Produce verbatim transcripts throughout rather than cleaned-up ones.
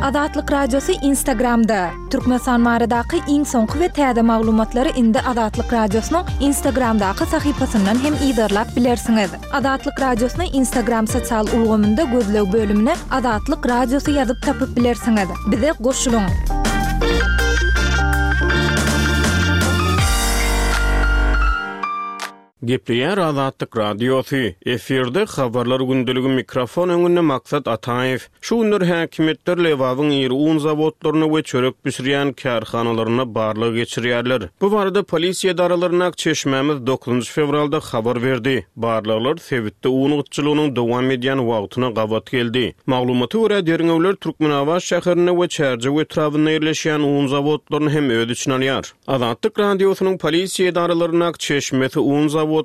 Azatlyk Radiosy Instagramda. Türkmenistan baradaky iň soňky we täze maglumatlary indi Azatlyk Radiosynyň Instagramdaky sahypasyndan hem yzarlap bilersiňiz. Azatlyk Radiosyny Instagram sosial ulgamynda gözleg bölümine Azatlyk Radiosy ýazyp tapyp bilersiňiz. Bize goşulyň. Gepleýär Azatlyk Radiosy. Efirde habarlar gündeligi mikrofon öňünde Maksat Ataýew. Şu günler häkimiýetler Lebabyň iri un zawodlaryna we çörek bişirýän kärhanalaryna barlag geçirýärler. Bu barada polisiýa edaralaryndaky çeşmämiz dokuzynjy fewralda habar berdi. Barlaglar sebitde un gytçylygynyň dowam edýän wagtyna gabat geldi. Maglumata görä, derňewler Türkmenabat şäherinde we Çärjew etrabynda ýerleşýän un zawodlaryny hem öz içine alýar. Azatlyk Radiosynyň polisiýa edaralaryndaky çeşmesi un zawodlarynyň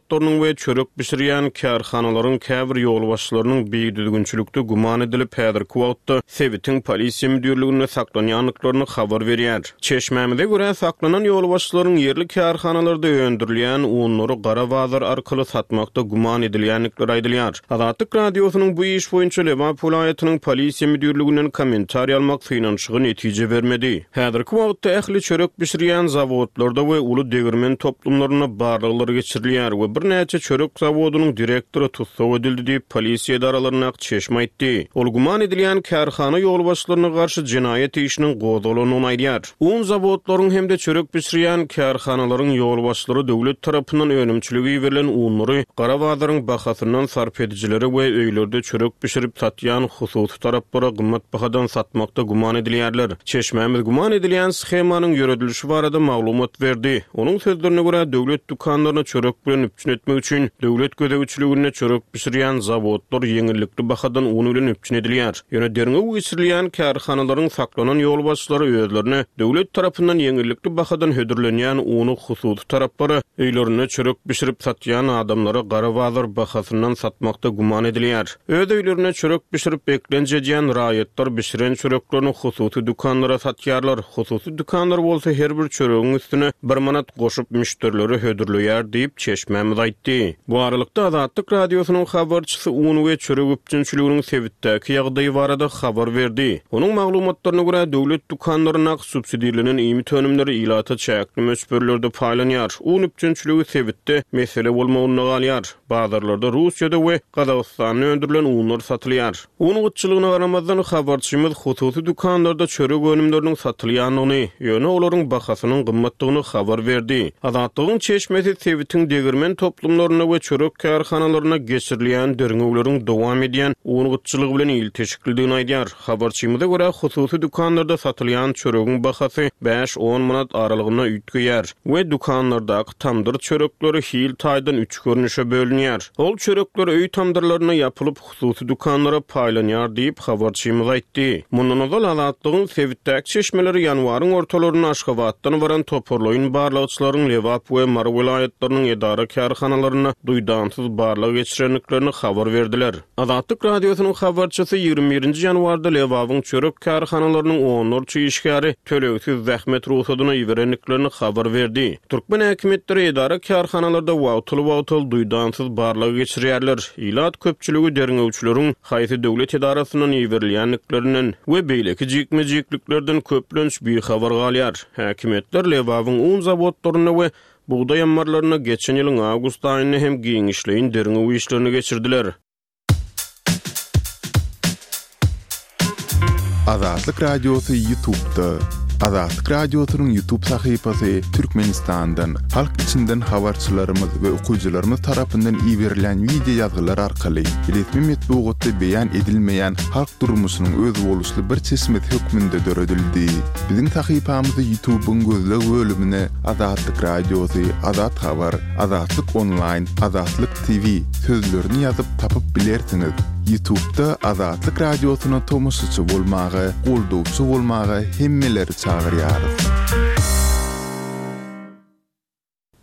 we çörek bişirýän kärhanalaryň käbir ýolbaşçylarynyň bidüzgünçilikde güman edilip, häzirki wagtda sebitiň polisiýa müdirliginde saklanýandyklaryny habar berýär. Çeşmämize görä, saklanan ýolbaşçylaryň ýerli kärhanalarda öndürilýän unlary gara bazar arkaly satmakda güman edilýändikleri aýdylýar. Azatlyk Radiosynyň bu iş boýunça Lebap welaýatynyň polisiýa müdirliginden kommentariý almak synanyşygy netije bermedi. Häzirki wagtda ähli çörek bişirýän zawodlarda we uly degirmen toplumlarynda barlaglar geçirilýär we birnäçe çörek zawodynyň direktory tussag edildi diýip, polisiýa edaralaryndaky çeşme aýtdy. Ol güman edilýän kärhana ýolbaşçylaryna garşy jenaýat işiniň gozgalandygyny aýdýar. Un zawodlaryň hem-de çörek bişirýän kärhanalaryň ýolbaşçylary döwlet tarapyndan önümçilige iberilen unlary gara bazaryň bahasyndan sarp edijilere we öýlerde çörek bişirip satýan hususy taraplara gymmat bahadan satmakda güman edilýärler. Çeşmämiz güman edilýän shemanyň ýöredilişi barada maglumat berdi. Onuň sözlerine görä, döwlet dükanlaryny çörek bilen üpjün etmek üçin döwlet gözegçiliginde çörek bişirýän zawodlar ýeňillikli bahadan un bilen üpjün edilýär. Ýöne derňew geçirilýän kärhanalaryň saklanan ýolbaşçylary özlerine döwlet tarapyndan ýeňillikli bahadan hödürlenýän uny hususy taraplara, öýlerinde çörek bişirip satýan adamlara gara bazar bahasyndan satmakda güman edilýär. Öz öýlerinde çörek bişirip eklenç edýän raýatlar bişiren çöreklerini hususy dükanlara satýarlar. Hususy dükanlar bolsa her bir çöregiň üstüne bir manat goşup müşderilere hödürleýär diýip, çeşmämiz aýtdy. Bu aralykda Azatlyk Radiosynyň habarçysy un we çörek üpjünçiliginiň sebitdäki ýagdaýy barada habar berdi. Onuň maglumatlaryna görä, döwlet dükanlaryndaky subsidirlenen iýmit önümleri ilata çäkli möçberlerde paýlanýar. Un üpjünçiligi sebitde mesele bolmagynda galýar. Bazarlarda Russiýada we Gazagystanda öndürilen unlar satylýar. Un gytçylygyna garamazdan habarçymyz hususy dükanlarda çörek önümleriniň satylýandygyny, ýöne olaryň bahasynyň gymmatdygyny habar berdi. Azatlygyň çeşmesi sebitiň degirmen toplumlarynda we çörek kärhanalarynda geçirilýän derňewleriň dowam edýän un gytçylygy bilen ilteşiklidigini aýdýar. Habarçymyza görä, hususy dükanlarda satylýan çöregiň bahasy bäş-on manat aralygynda üýtgeýär we dükanlardaky tamdyr çörekleri hil taýdan üç görnüşe bölünýär. Ol çörekler öý tamdyrlaryna ýapylyp, hususy dükanlara paýlanýar diýip, habarçymyz aýtdy. Mundan ozal Azatlygyň sebitdäki çeşmeleri ýanwaryň ortalarynda Aşgabatdan baran toparlaýyn barlagçylaryň Lebap we Mary welaýatlarynyň edara kärhanalarynda duýdansyz barlag geçirendiklerini habar berdiler. Azatlyk Radiosynyň habarçysy ýigrimi birinji ýanwarda Lebabyň çörek kärhanalarynyň onlarça işgäri tölegsiz zähmet rugsadyna iberendiklerini habar berdi. Türkmen häkimiýetleri edara kärhanalarda wagtal-wagtal duýdansyz barlag geçirýärler. Ilat köpçüligi derňewçileriň haýsy döwlet edarasyndan iberilýändiklerinden we beýleki jikme-jikliklerden köplenç bihabar galýar. Häkimiýetler Lebabyň un zawodlarynda we bugdaý ammarlarynda geçen ýylyň awgust aýynda hem giňişleýin derňew işlerini geçirdiler. Azatlyk Radiosy YouTube'da. Azatlyk Radiosynyň YouTube sahypasy Türkmenistandan, halk içinden habarçylarymyz we okyjylarymyz tarapyndan iberilen wideo ýazgylar arkaly resmi metbugatda beýan edilmeýän halk durmuşynyň özboluşly bir çeşmesi hökmünde döredildi. Biziň sahypamyzy YouTube'yň gözleg bölümine Azatlyk Radiosy, Azat Habar, Azatlyk Online, Azatlyk T V sözlerini ýazyp tapyp bilersiňiz. YouTube'da Azatlyk Radiosyna tomaşaçy bolmaga, goldawçy bolmaga hemmeleri çagyrýarys.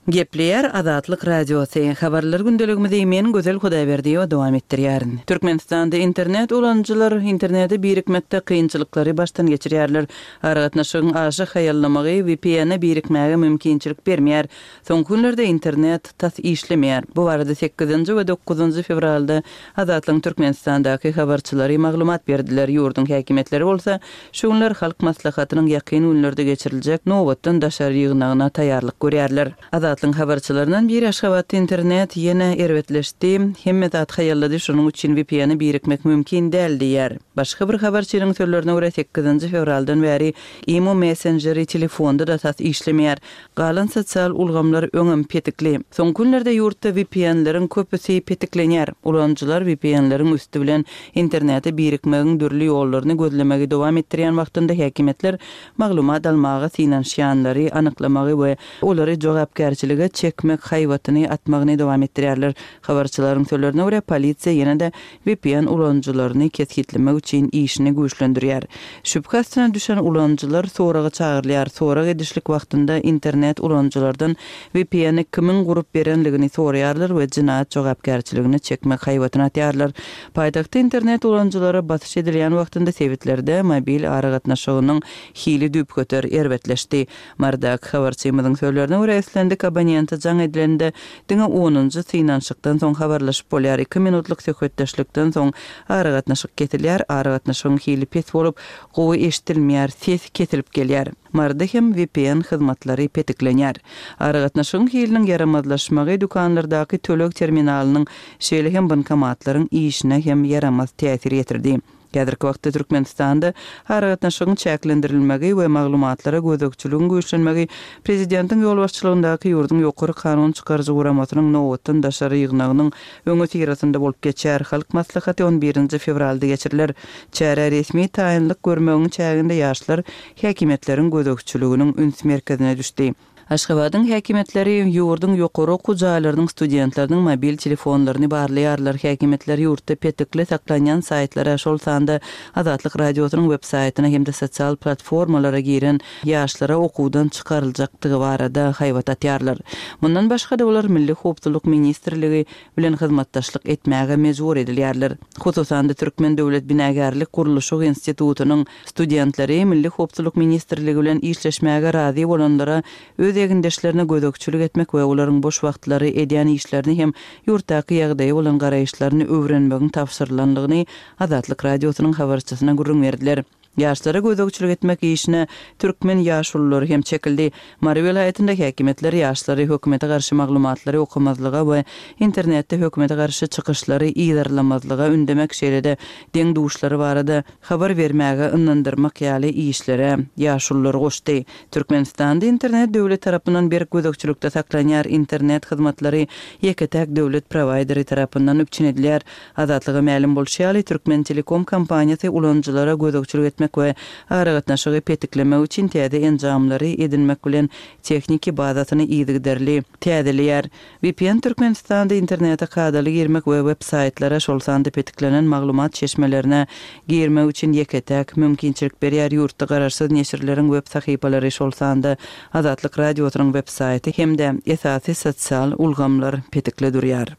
Gepleýär Azatlyk Radiosy. Habarlar gündeligimizi men Gözel Hudaýberdiýewa dowam etdirýärin. Türkmenistanda internet ulanyjylar internete birikmekde kynçylyklary başdan geçirýärler. Aragatnaşygyň aşa haýallamagy V P N-e birikmäge mümkinçilik bermeýär. Soňky günlerde internet tas işlemeýär. Bu barada sekizinji we dokuzynjy fewralda Azatlygyň Türkmenistandaky habarçylary maglumat berdiler. Ýurduň häkimiýetleri bolsa şu günler Halk Maslahatynyň ýakyn günlerde geçiriljek nobatdan daşary ýygnagyna taýýarlyk görýärler. Azatlygyň habarçylaryndan biri Aşgabatda internet ýene erbetleşdi, hemme zat haýallady, şonuň üçin V P N-e birikmek mümkin däl diýýär. Başga bir habarçynyň sözlerine görä sekizinji fewraldan bäri Imo messengeri telefonda da tas işlemeýär. Galan sosial ulgamlar öňem petikli. Soňky günlerde ýurtda V P N-leriň köpüsi petiklenýär. Ulanyjylar V P N-leriň üsti bilen internete birikmegiň dürli ýollaryny gözlemegi dowam etdirýän wagtynda häkimiýetler maglumat almaga synanyşýanlary anyklamagy we olary jogapkärçilige çekmek haýbatyny atmagyny dowam etdirýärler. Habarçylaryň sözlerine görä polisiýa ýene-de V P N ulanyjylaryny kesgitlemek üçin işini güýçlendirýär. Şübhe astyna düşen ulanyjylar soraga çagyrylýar. Sorag edişlik wagtynda internet ulanyjylardan V P N-i kimiň gurup berenligini soraýarlar we jinaýat jogapkärçiligine çekmek haýbatyny atýarlar. Paýtagtda internet ulanyjylara basyş edilýän wagtynda sebitlerde mobil aragatnaşygynyň hili düýpgöter erbetleşdi. Marydaky habarçymyzyň sözlerine görä islendik abonente jaň edilende diňe onunjy synanyşykdan soň habarlaşyp bolýar. Iki minutlyk söhbetdeşlikden soň aragatnaşyk kesilýär, aragatnaşygyň hili pes bolup, gowy eşidilmeýär, ses kesilip gelýär. Maryda hem V P N hyzmatlary petiklenýär. Aragatnaşygyň hiliniň ýaramazlaşmagy dükanlardaky töleg terminalynyň şeýle hem bankomatlaryň işine hem ýaramaz täsir ýetirdi. Häzirki wagtda Türkmenistanda aragatnaşygyň çäklendirilmegi we maglumatlara gözegçiligiň güýçlenmegi prezidentiň ýolbaşçylygyndaky ýurduň ýokary kanun çykaryjy guramasynyň nobatdan daşary ýygnagynyň öňüsyrasynda bolup geçer. Halk maslahaty on birinji fewralda geçiriler. Çärä resmi taýynlyk görmegiň çäginde ýaşlar häkimiýetleriň gözegçiliginiň üns merkezine düşdi. Aşgabadyň häkimiýetleri ýurduň ýokary okuw jaýlarynyň studentleriniň mobil telefonlaryny barlaýarlar. Häkimiýetler ýurtda petikli saklanýan saýtlara, şol sanda Azatlyk radiosynyň web saýtyna hem-de sosial platformalara giren ýaşlara okuwdan çykaryljakdygy barada haýbat atýarlar. Mundan başga-da olar Milli howpsuzlyk ministrligi bilen hyzmatdaşlyk etmäge mejbur edilýärler. Hususan-da Türkmen Döwlet Binagärlik Gurluşyk institutynyň studentleri Milli howpsuzlyk ministrligi bilen işleşmäge razy bolanlara öz egindeşlerine gözegçilik etmek we olaryň boş wagtlary edýän işlerini hem ýurtdaky ýagdaýy bolan garaýyşlaryny öwrenmegiň tabşyrylanlygyny Azatlyk radiosynyň habarçysyna gürrüň berdiler. Ýaşlara gözegçilik etmek işine türkmen ýaşululary hem çekildi. Mary welaýatynda häkimiýetler ýaşlary hökümete garşy maglumatlary okamazlyga we internetde hökümete garşy çykyşlary yzarlamazlyga ündemek, şeýle-de deň duşlary barada habar bermäge ynandyrmak ýaly işlere ýaşululary goşdy. Türkmenistanda internet döwlet tarapyndan berk gözegçilikde saklanýar. Internet hyzmatlary ýeke-täk döwlet prowaýderi tarapyndan üpjün edilýär. Azatlyga mälim bolşy ýaly, Türkmen Telekom kompaniýasy ulanyjylara gözegçilik etmek we aragatnaşygy petiklemek üçin täze enjamlary edinmek bilen tehniki bazasyny yzygiderli täzeleýär. V P N Türkmenistanda internete kadaly girmek we web saýtlara, şol sanda petiklenen maglumat çeşmelerine girmek üçin ýeke-täk mümkinçilik berýär. Ýurtda garaşsyz neşirleriň web sahypalary, şol sanda Azatlyk radiosynyň web saýty hem-de esasy sosial ulgamlar petikli durýar.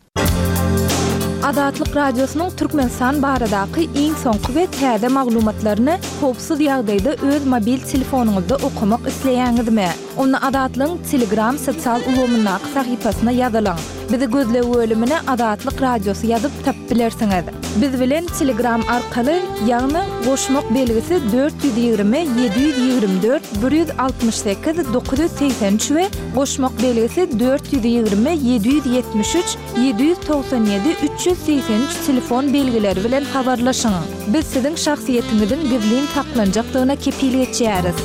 Azatlyk Radiosynyň Türkmenistan baradaky iň soňky we täze maglumatlaryny howpsuz ýagdaýda öz mobil telefonyňyzda okamak isleýäňizmi? Onda Azatlygyň Telegram sosial ulgamyndaky sahypasyna ýazylyň. Bizi gözleg bölümine Azatlyk Radiosy ýazyp tapyp bilersiňiz. Biz bilen Telegram arkaly, ýagny goşmak belgisi dört ýüz ýigrimi ýedi ýüz ýigrimi dört bir ýüz altmyş sekiz dokuz ýüz segsen üç we goşmak belgisi dört ýüz ýigrimi ýedi ýüz ýetmiş üç ýedi ýüz togsan ýedi üç ýüz segsen üç telefon belgileri bilen habarlaşyň. Biz siziň şahsyýetiňiziň gizlin saklanjakdygyna kepil geçýäris.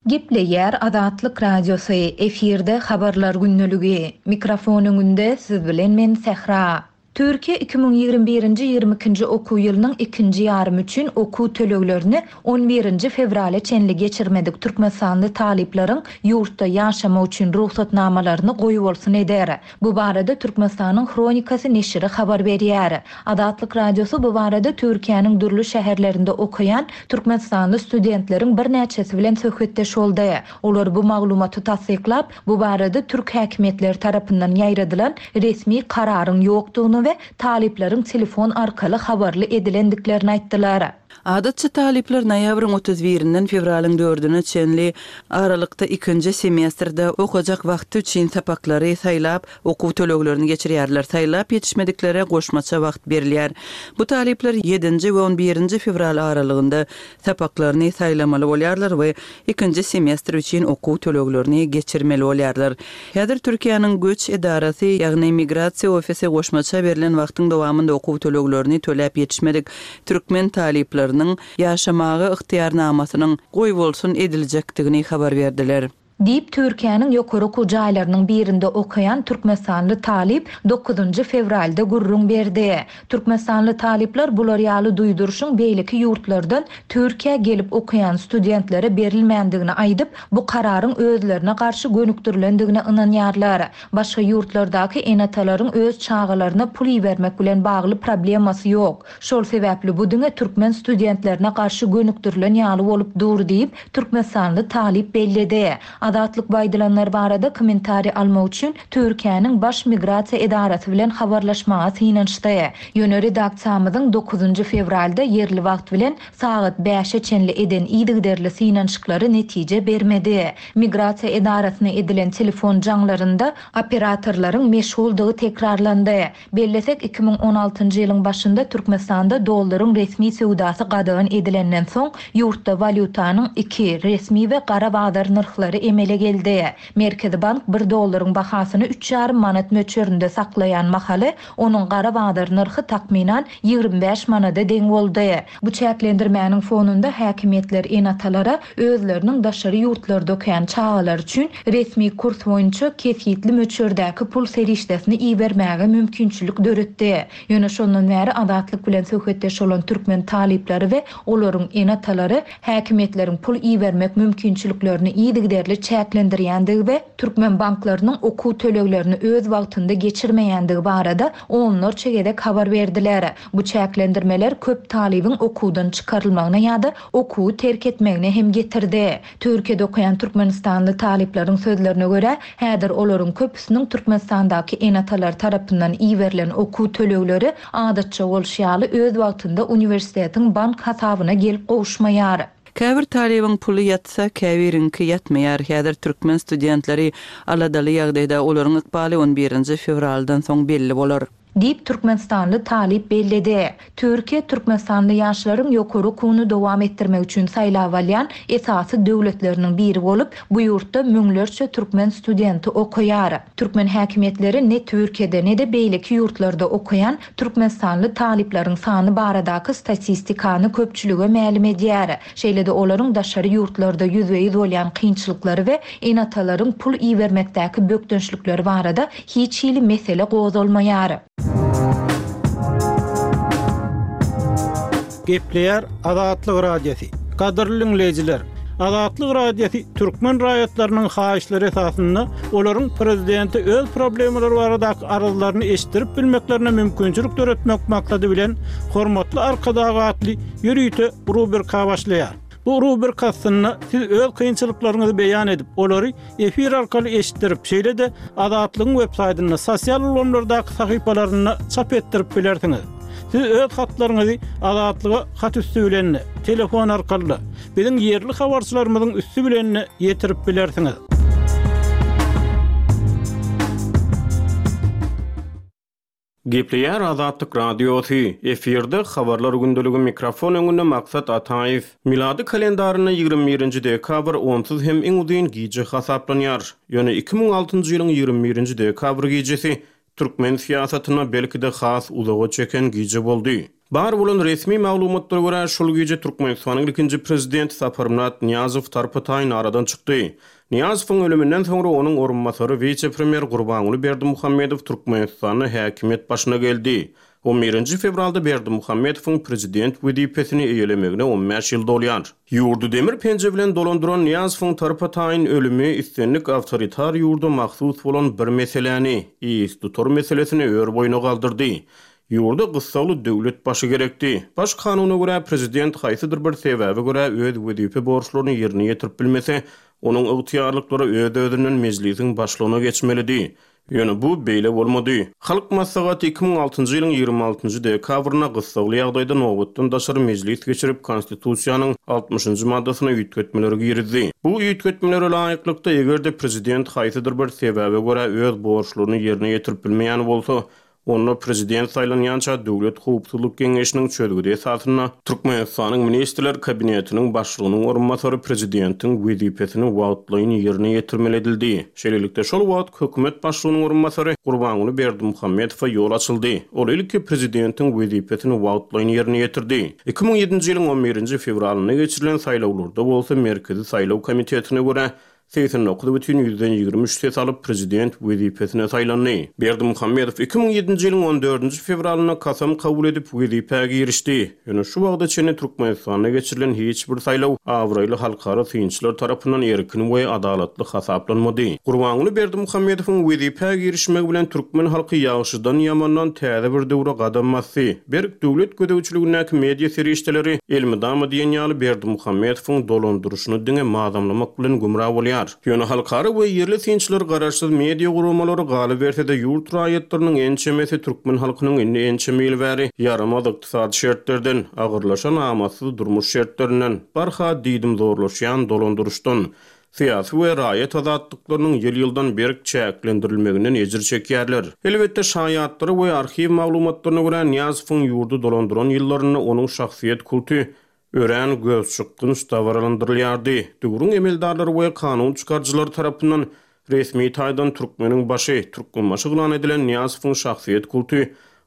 Gepleýär Azatlyk Radiosy, efirde habarlar gündeligi. Mikrofon öňünde siz bilen men Sähra. Türkiýe iki müň ýigrimi birinji ýigrimi ikinji okuw ýylynyň ikinji ýarymy üçin okuw töleglerini on birinji fewrala çenli geçirmedik türkmenistanly talyplaryň ýurtda ýaşamak üçin rugsatnamalaryny goýbolsun eder. Bu barada Türkmenistanyň Hronikasy neşiri habar berýär. Azatlyk Radiosy bu barada Türkiýäniň dürli şäherlerinde okaýan türkmenistanly studentleriň birnäçesi bilen söhbetdeş boldy. Olar bu maglumaty tassyklap, bu barada türk häkimiýetleri tarapyndan ýaýradylan resmi kararyň ýokdugyny we talyplaryň telefon arkaly habarly edilendiklerini aýtdylar. Adatça talyplar noýabryň otuz birinden fewralyň dördüne çenli aralykda ikinji semestrde okajak wagty üçin sapaklary saýlap, okuw töleglerini geçirýärler. Saýlap ýetişmediklere goşmaça wagt berilýär. Bu talyplar ýedinji we on birinji fewral aralygynda sapaklaryny saýlamaly bolýarlar we ikinji semestr üçin okuw töleglerini geçirmeli bolýarlar. Häzir Türkiýäniň göç edarasy, ýagny migrasiýa ofisi goşmaça berlen wagtyň dowamynda okuw töleglerini töläp ýetişmedik türkmen talyplarynyň ýaşamaga ygtyýarnamasynyň goýbolsun ediljekdigini habar berdiler. Diýip, Türkiýäniň ýokary okuw jaýlarynyň birinde okaýan türkmenistanly talyp dokuzynjy fewralda gürrüň berdi. Türkmenistanly talyplar bular ýaly duýduryşyň beýleki ýurtlardan Türkiýä gelip okaýan studentlere berilmändigini aýdyp, bu kararyň özlerine garşy gönükdirilendigine ynanýarlar. Başga ýurtlardaky ene-atalaryň öz çagalaryna pul ibermek bilen bagly problemasy ýok. Şol sebäpli bu diňe türkmen studentlerine garşy gönükdirilen ýaly bolup dur diýip, türkmenistanly talyp belledi. Azatlyk baýdylanlar barada kommentariý almak üçin Türkiýäniň baş migrasiýa edarasy bilen habarlaşmaga synanyşdy. Ýöne redaksiýamyzyň dokuzynjy fewralda ýerli wagt bilen sagat bäşe çenli eden yzygiderli synanyşyklary netije bermedi. Migrasiýa edarasyna edilen telefon jaňlarynda operatorlaryň meşguldygy tekrarlandy. Bellesek iki müň on altynjy ýylyň başynda Türkmenistanda dollaryň resmi söwdasy gadagan edilenden soň ýurtda walýutanyň iki resmi we gara bazar nyrhlary emele geldi. Merkezi bank bir dollaryň bahasyny üç ýarym manat möçberinde saklaýan mahaly onuň gara bazar nyrhy takmynan ýigrimi bäş manada deň boldy. Bu çäklendirmäniň fonunda häkimiýetler ene-atalara özleriniň daşary ýurtlarda okaýan çagalar üçin resmi kurs boýunça kesgitli möçberdäki pul serişdesini ibermäge mümkinçilik döretdi. Ýöne şondan bäri Azatlyk bilen söhbetdeş bolan türkmen talyplary we olaryň ene-atalary häkimiýetleriň pul ibermek mümkinçiliklerini yzygiderli çäklendirýändigi we türkmen banklarynyň okuw töleglerini öz wagtynda geçirmeýändigi barada onlarça gezek habar berdiler. Bu çäklendirmeler köp talybyň okuwdan çykarylmagyna ýa-da okuwy terk etmegine hem getirdi. Türkiýede okaýan türkmenistanly talyplaryň sözlerine görä, häzir olaryň köpüsiniň Türkmenistandaky ene-atalar tarapyndan iberilen okuw tölegleri adatça bolşy ýaly öz wagtynda uniwersitetiň bank hasabyna gelip gowuşmaýar. Käbir talybyň puly ýatsa, käbiriňki ýatmaýar. Häzir türkmen studentleri aladaly ýagdaýda olaryň ykbaly on birinji fewraldan soň belli bolar. Diýip türkmenistanly talyp belledi. Türkiýe türkmenistanly ýaşlaryň ýokary okuwyny dowam etdirmek üçin saýlap alýan esasy döwletleriniň biri bolup, bu ýurtda müňlerçe türkmen studenti okaýar. Türkmen häkimiýetleri ne Türkiýede ne-de beýleki ýurtlarda okaýan türkmenistanly talyplaryň sany baradaky statistikany köpçülige mälim edýär. Şeýle-de olaryň daşary ýurtlarda ýüzbe-ýüz bolýan kynçylyklary we ene-atalaryň pul ibermekdäki bökdençlikleri barada hiç hili mesele gozgalmaýar. Gepleýär Azatlyk Radiosy. Gadyrly dinleýjiler, Azatlyk Radiosy türkmen raýatlarynyň haýyşlary esasynda olaryň prezidenti öz problemalary baradaky arzlaryny eşitdirip bilmeklerine mümkinçilik döretmek maksady bilen Hormatly Arkadag atly ýörite rubrika başlaýar. Bu rubrika aslynda siz öz kynçylyklaryňyzy beýan edip, olary efir arkaly eşitdirip, şeýle-de Azatlygyň web saýtynda, sosial ulgamlardaky sahypalarynda çap etdirip bilersiňiz. Siz öz hatlaryňyzy Azatlyga hat üstü bilen, telefon arkaly, biziň ýerli habarçylarymyzyň üstü bilen ýetirip bilersiňiz. Gepleýär Azatlyk Radiosy, efirde habarlar gündeligi mikrofon öňünde Maksat Ataýew. Milady kalendarynda ýigrimi birinji dekabr onsuz hem iň uzyn gije hasaplanýar. Ýöne iki müň altynjy ýylyň ýigrimi birinji dekabr gijesi türkmen syýasatyna belki-de has uzaga çeken gije boldy. Bar bolan resmi maglumatlara görä, şol gije Türkmenistanyň ilkinji prezidenti Saparmyrat Nyýazow tarpa-taýyn aradan çykdy. Nyýazowyň ölüminden soňra onuň orunbasary wise-premýer Gurbanguly Berdimuhamedow Türkmenistanda häkimiýet başyna geldi. On birinji fewralda Berdimuhamedowyň prezident wezipesini eýelemegine on bäş ýyl dolýar. Ýurdy demir penje bilen dolandyran Nyýazowyň tarpa-taýyn ölümi islendik awtoritar ýurda mahsus bolan bir meseläni, istutar meselesini ör boýuna galdyrdy. Ýurda gyssagly döwlet başy gerekdi. Baş kanuna görä prezident haýsydyr bir sebäbe görä öz wezipe borçlaryny ýerine ýetirip bilmese, onuň ygtyýarlyklary öz-özünden mejlisiň başlygyna geçmelidi. Ýöne bu beýle bolmady. Halk maslahaty iki müň altynjy ýylyň ýigrimi altynjy dekabrynda gyssagly ýagdaýda nobatdan daşary mejlis geçirip, konstitusiýanyň altmyşynjy maddasyna üýtgetmeleri girizdi. Bu üýtgetmelere laýyklykda eger-de prezident haýsydyr bir sebäbe görä öz borçlaryny ýerine ýetirip bilmeýän bolsa, onda prezident saýlanýança Döwlet Howpsuzlyk Geňeşiniň çözgüdi esasynda Türkmenistanyň Ministrler Kabinetiniň başlygynyň orunbasary prezidentiň wezipesini wagtlaýyn ýerine ýetirmeli edildi. Şeýlelikde şol wagt hökümet başlygynyň orunbasary Gurbanguly Berdimuhamedowa ýol açyldy. Ol ilki prezidentiň wezipesini wagtlaýyn ýerine ýetirdi. iki müň ýedinji ýylyň on birinji fewralynda geçirilen saýlawlarda bolsa Merkezi saýlaw komitetine görä seksen dokuz bütin ýüzden ýigrimi üç ses alyp prezident wezipesine saýlandy. Berdimuhamedow iki müň ýedinji ýylyň on dördünji fewralynda kasam kabul edip wezipä girişdi. Ýöne şu wagta çenli Türkmenistanda geçirilen hiç bir saýlaw abraýly halkara synçylar tarapyndan erkin we adalatly hasaplanmady. Gurbanguly Berdimuhamedowyň wezipä girişmegi bilen türkmen halky ýagşydan ýamandan täze bir döwre gadam basdy. Berk döwlet gözegçiligindäki media serişdeleri elmydama diýen ýaly Berdimuhamedowyň dolandyryşyny diňe mazamlamak bilen gümra bolýar. Ýöne halkara we ýerli synçylar garaşsyz media guramalary galyberse-de ýurt raýatlarynyň ençemesi türkmen halkynyň indi ençeme ýyl bäri ýaramaz ykdysady şertlerden, agyrlaşan amatsyz durmuş şertlerinden, barha diýdimzorlaşýan dolandyryşdan, syýasy we raýat azatlyklarynyň ýyl-ýyldan berk çäklendirilmeginden ejir çekýärler. Elbetde şaýatlary we arhiw maglumatlaryna görä Nyýazowyň ýurdy dolandyran ýyllarynda onuň şahsyýet kulty örän gözçykgynç dabaralandyrylýardy. Döwrüň emeldarlary we kanun çykaryjylary tarapyndan resmi taýdan türkmeniň başy, Türkmenbaşy yglan edilen Nyýazowyň şahsyýet kulty,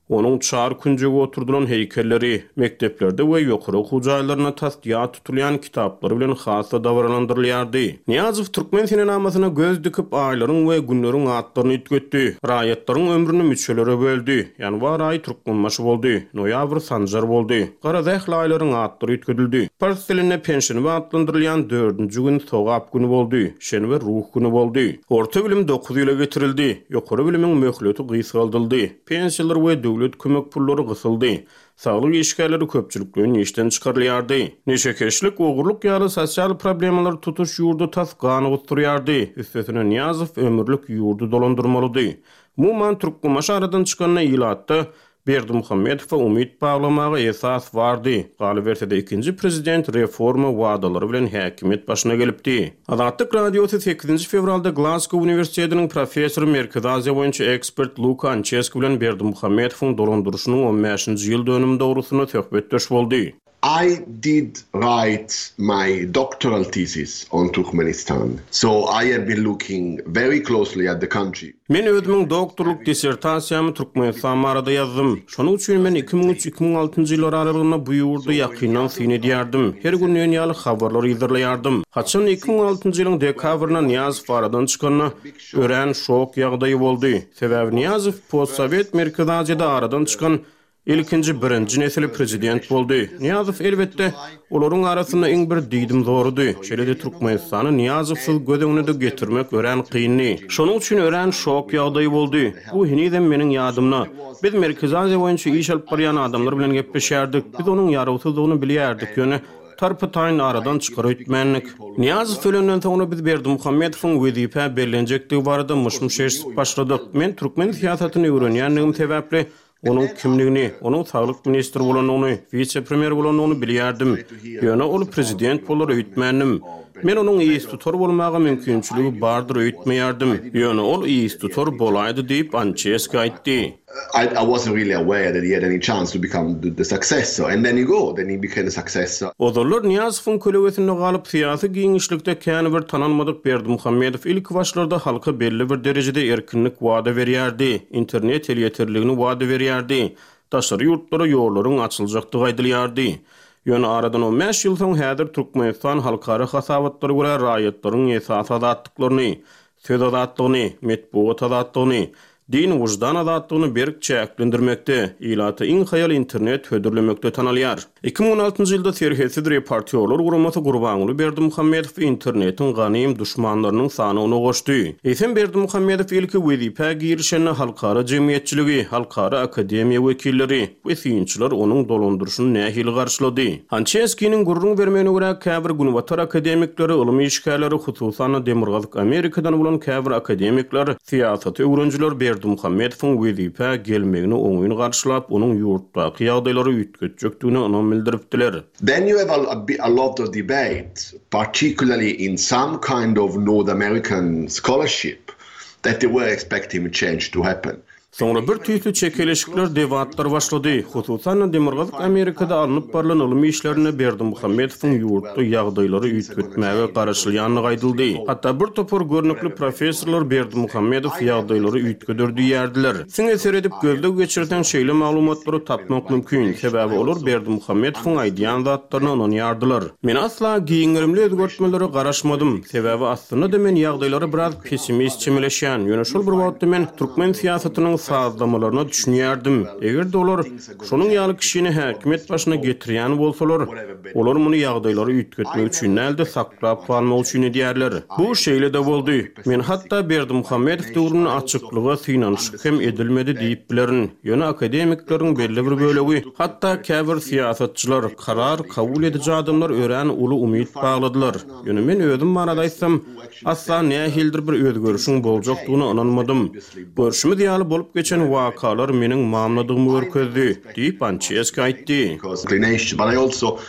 onuň çar künjegi oturdylan heýkelleri, mekdeplerde we ýokary okuw jaýlarynda tas ýat tutulýan kitaplary bilen has-da dabaralandyrylýardy. Nyýazow türkmen senenamasyna göz dikip aýlaryň we günleriň atlaryny üýtgetdi. Raýatlaryň ömrüni müçelere böldi. Ýanwar aýy Türkmenbaşy boldy, noýabr Sanjar boldy. Gara zähli aýlaryň atlary üýtgedildi. Pars dilinde penşenbe atlandyrylýan dördünji gün sogap günü boldy, şenbe ruh günü boldy. Orta bilim dokuz ýyla getirildi. Ýokary bilimiň möhleti gysgaldyldy. Pensiýalar we döwlet kömek pullary gysyldy. Saglyk işgärleri köpçülikleýin işden çykarylýardy. Neşekeşlik, ogurlyk ýaly sosial problemalar tutuş ýurdy tas gany gusdurýardy. Üstesine Nyýazow ömürlik ýurdy dolandyrmalydy. Umuman Türkmenbaşy aradan çykanda ilatda Berdimuhamedowa umyt baglamaga esas bardy. Galyberse-de ikinji prezident reforma wadalary bilen häkimiýet başyna gelipdi. Azatlyk Radiosy sekizinji fewralda Glasgow Uniwersitetiniň professory Merkezi Aziýa boýunça ekspert Luka Ançeski bilen Berdimuhamedowyň dolandyryşynyň on bäşinji ýyl dönümi dogrusynda söhbetdeş boldy. I did write my doctoral thesis on Turkmenistan. So I have been looking very closely at the country. Men özümiň doktorlyk dissertasiýamy Türkmenistan barada ýazdym. Şonuň üçin men iki müň üç iki müň altynjy ýyllar aralygynda bu ýurdy ýakyndan syn edýärdim. Her gün diýen ýaly habarlar ýyzdyrlaýardym. Haçan iki müň altynjy ýylyň dekabrynda Nyýazow aradan çykanda örän şok ýagdaýy boldy. Sebäbi Nyýazow postsovet Merkezi Aziýada aradan çykan ilkinji birinji nesli prezident boldy. Nyýazow elbetde olaryň arasynda iň bir diýdim zorudy. Şeýle-de Türkmenistany Nyýazowsyz göz öňüne getirmek örän kyndy. Şonuň üçin örän şok ýagdaýy boldy. Bu henizem meniň ýadymda. Biz Merkezi Aziýa boýunça iş alyp barýan adamlar bilen gepleşýärdik. Biz onuň ýarawsyzlygyny bilýärdik. Ýöne tarpy-taýyn aradan çykar öýtmändik. Nyýazow ölenden soňra biz Berdimuhamedowyň wezipä bellenjekdigi barada myş-myş eşidip başladyk. Men türkmen syýasatyny öwrenýändigim sebäpli onuň kimligini, onuň saglyk ministri bolandygyny, wise-premýer bolandygyny bilýärdim. Ýöne ol prezident bolar öýtmändim. Men onuň istutar bolmaga mümkinçiligi bardyr öýtmeýärdim. Ýöne ol istutar bolaýdy diýip Ançeski aýtdy. I, I wasn't really aware that he had any chance to become the, the successor, and then he go, then he became the successor. Ozallar Nyýazowyň kölegesinde galyp syýasy giňişlikde kän bir tanalmadyk Berdimuhamedow ilk başlarda halka belli bir derejede erkinlik wada berýärdi. Internet elýeterligini wada berýärdi. daşary ýurtlara ýollaryň açyljakdygy aýdylýardy. Ýöne aradan on bäş ýyl soň häzir Türkmenistan halkara hasabatlara görä raýatlaryň esasy azatlyklaryny, söz azatlygyny, metbugat azatlygyny, din wyždan azatlygyny berk çäklendirmekde, ilata iň haýal internet hödürlemekde tanalýar. Iki müň on altynjy ýylda Serhetsiz reportýorlar guramasy Gurbanguly Berdimuhamedow internetiň ganym duşmanlarynyň sanyna goşdy. Eýsem Berdimuhamedow ilki wezipä girişende halkara jemgyýetçiligi, halkara akademiýa wekilleri we synçylar onuň dolandyryşyny nähili garşylady. Ançeskiniň gürrüň bermegine görä käbir günbatar akademikleri, ylym işgärleri, hususan-da Demirgazyk Amerikadan bolan käbir akademikler, syýasaty öwrenijiler Berdimuhamedowyň wezipä gelmegini oňyn garşylap, onuň ýurtdaky ýagdaýlary üýtgetjekdigine ynam bildiripdiler. Then you have a, a, a lot of debate, particularly in some kind of North American scholarship, that they were expecting change to happen. Soňra bir tüýsli çekeleşikler, debatlar başlady. Hususan-da Demirgazyk Amerikada alnyp barylan ylym işlerinde Berdimuhamedowyň ýurtda ýagdaýlary üýtgetmäge garaşylýandygy aýdyldy. Hatda bir topar görnükli professorlar Berdimuhamedow ýagdaýlary üýtgeder diýerdiler. Siňe seredip gözleg geçirseň şeýle maglumatlary tapmak mümkin. Sebäbi olar Berdimuhamedowyň aýdýan zatlaryna ynanýardylar. Men asla giňgerimli özgertmelere garaşmadym. Sebäbi aslynda da men ýagdaýlara biraz pessimist çemeleşýän. Ýöne şol bir wagtda men türkmen syýasatynyň sazlamalaryna düşünýärdim. Eger olar şonuň ýaly kişini häkimiýet başyna getirýän bolsalar, olar muny ýagdaýlary üýtgetmek üçin däl-de saklap galmak üçin edýärler. Bu şeýle-de boldy. Men hatda Berdimuhamedow döwründe açyklyga synanyşyk hem edilmedi diýip bilerin. Ýöne akademikleriň belli bir bölegi, hatda käbir syýasatçylar, karar kabul ediji adamlar örän uly umyt bagladylar. Ýöne men özüm barada aýtsam, asla nähildir bir özgerişiň boljakdygyna ynanmadym. Görşümiz ýaly bolup geçen wakalar meniň mamladygymy görkezdi, diýip Ançeski aýtdy. But I also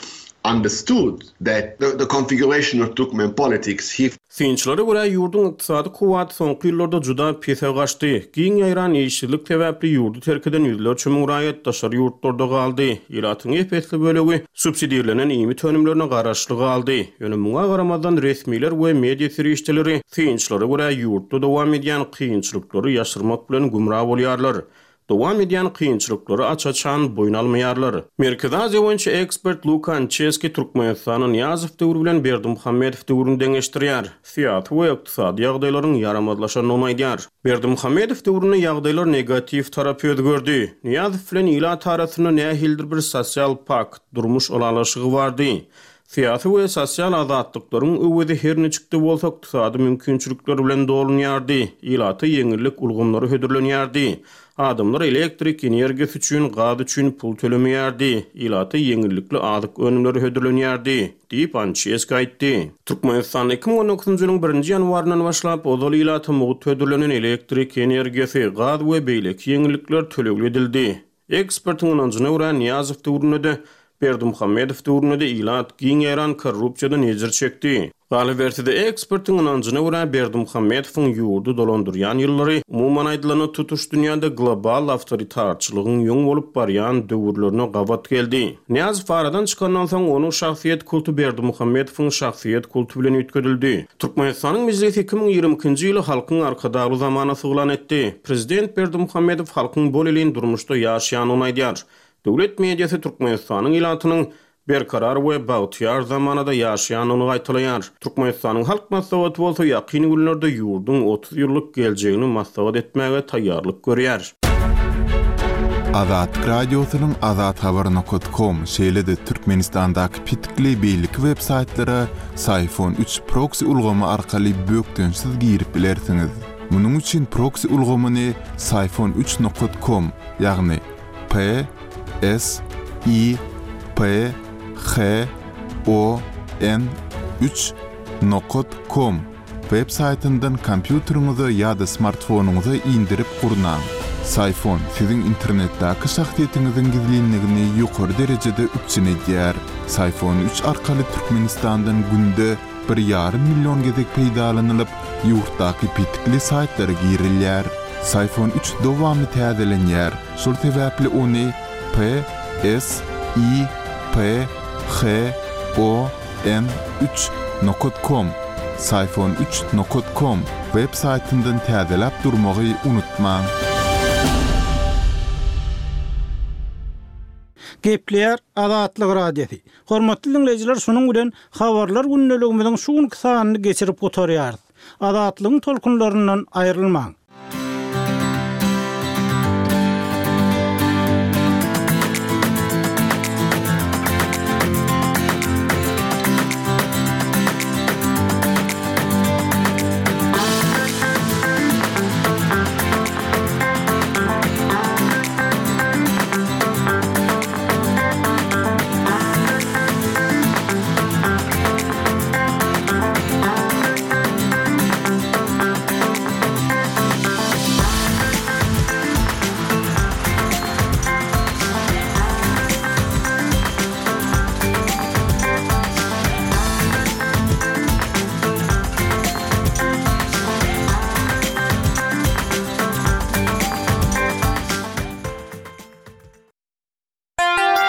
understood that the, the configuration of Turkmen politics he Synçylara görä ýurduň ykdysady kuwwaty soňky ýyllarda juda pese gaçdy. Giň ýaýran işsizlik sebäpli ýurdy terk eden ýüzlerçe müň raýat daşary ýurtlarda galdy. Ilatyň ep-esli bölegi subsidirlenen iýmit önümlerine garaşly galdy. Ýöne muňa garamazdan resmiler we media serişdeleri synçylara görä ýurtda dowam edýän kynçylyklary ýaşyrmak bilen gümra bolýarlar. Dowam edýän kynçylyklary aç-açan boýun almaýarlar. Merkezi Aziýa boýunça ekspert Luka Ançeski Türkmenistanyň Nyýazow döwri bilen Berdimuhamedow döwrüni deňeşdirýär. Syýasy we ykdysady ýagdaýlaryň ýaramazlaşandygyny aýdýar. Berdimuhamedow döwründe ýagdaýlar negatiw tarapy özgerdi. Nyýazow bilen ilat arasynda nähildir bir sosial pakt, durmuş ylalaşygy bardy. Syýasy we sosial azatlyklaryň öwezi her niçikde bolsa ykdysady mümkinçilikler bilen dolunýardy. Ilata ýeňillik ulgamlary hödürlenýärdi. Adamlar elektrik energiýasy üçin, gaz üçin pul tölemeýärdi. Ilata ýeňillikli azyk önümleri hödürlenýärdi, diýip Ançeski aýtdy. Türkmenistanda iki müň on dokuzynjy ýylyň birinji ýanwaryndan başlap ozal ilata mugt hödürlenen elektrik energiýasy, gaz we beýleki ýeňillikler tölegli edildi. Ekspertiň ynanjyna görä Nyýazow döwründe-de Berdimuhamedow döwründe-de ilat giň ýaýran korrupsiýadan ejir çekdi. Galyberse-de ekspertiň ynanjyna görä Berdimuhamedowyň ýurdy dolandyrýan ýyllary umuman aýdylanda tutuş dünýäde global awtoritarçylygyň ýoň bolup barýan döwürlerine gabat geldi. Nyýazow aradan çykandan soň onuň şahsyýet kulty Berdimuhamedowyň şahsyýet kulty bilen üýtgedildi. Türkmenistanyň mejlisi iki müň ýigrimi ikinji ýyly halkyň arkadagly zamanasy yglan etdi. Prezident Berdimuhamedow halkyň bol elin durmuşda ýaşaýandygyny aýdýar. Döwlet mediasy Türkmenistanyň ilatynyň berkarar we bagtyýar zamanada ýaşaýandygyny gaýtalaýar. Türkmenistanyň halk maslahaty bolsa ýakyn günlerde ýurduň otuz ýyllyk geljegini maslahat etmäge taýýarlyk görýär. Azatlyk Radiosynyň azathabar nokta com şeýle-de Türkmenistandaky petikli beýleki web saýtlara Syfon üç proxy ulgamy arkaly bökdençsiz girip bilersiňiz. Munuň üçin proxy ulgamyny Syfon üç nokta com, ýagny P S I P H O N üç nokta com web saýtyndan kompýuteriňize ýa-da smartfonyňyza indirip gurnaň. Syfon siziň internetdäki şahsyýetiňiziň gizlinligini ýokary derejede üpjün edýär. Syfon üç arkaly Türkmenistandan günde bir ýarym million gezek peýdalanylyp, ýurtdaky petikli saýtlara girilýär. Syfon üç dowamly täzelenýär. Şol sebäpli ony P S I P H O N üç nokta com, Syfon üç nokta com web saýtyndan täzeläp durmagy unutmaň. Gepleýär Azatlyk Radiosy. Hormatly diňleýjiler, şunuň bilen habarlar gündeligimiziň şu günki sanyny geçirip gutarýarys. Azatlygyň tolkunlaryndan aýrylmaň.